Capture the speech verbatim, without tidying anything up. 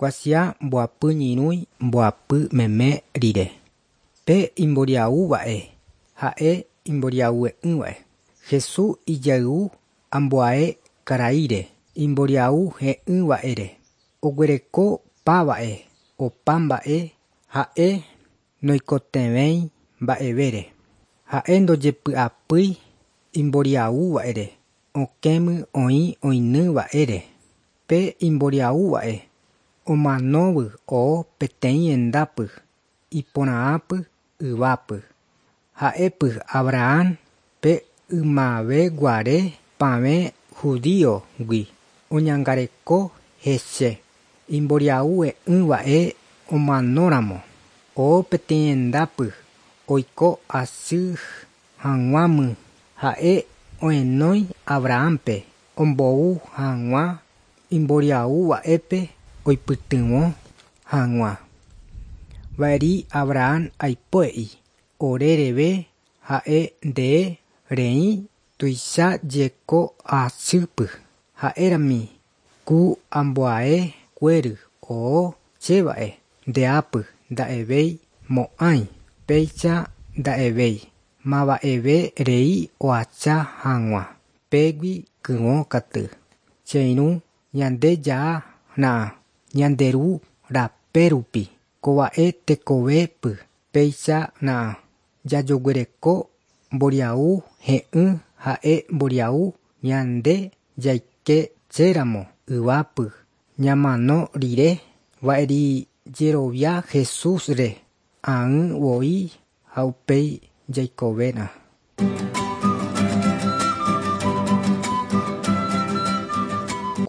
Kuatia mbohapy ñyrỹi mbohapy meme rire. Pe imboriahúva'e ha'e imboriahuve'ỹva'e. Jesús ijayvu ambuae karaíre imboriahuhe'ỹva'ere. Oguerekopáva'e opa mba'e ha'e noikotevẽi mba'evére. Ha'e ndojepy'apýi imboriahúva'ere okẽmi oĩ oĩnýva'ere. Pe imboriahúva'e omanóvy oo peteĩ hendápy iporãhápy yvápy. Ha'épy Abraham pe ymaveguare pavẽ judío-gui oñangareko hese imboriahuve'ỹva'e omanóramo oo peteĩ hendápy oiko asy hag̃uámi. Ha'e ohenói Abrahampe ombou hag̃ua imboriahúva'épe oipytyvõ hag̃ua. Va'eri Abraham aipo'ei orereve ha'e nde reĩ tuicha jeko asýpy ha'érami ku ambuae kuéry oo chéva'e ndeápy nda'evéi mo'ãi péicha nda'evéi mava'eve rei oacha hag̃ua pégui kyvõ katu. Che irũ ñande jahána ñande ru rape rupi kova'e tekovépy péicha jajoguereko mboriahu he'ỹ ha'e mboriahu ñande jaikeséramo yvápy ñamano rire va'eri jerovia Jesúsre ág̃avoi ha upéi jaikovéna.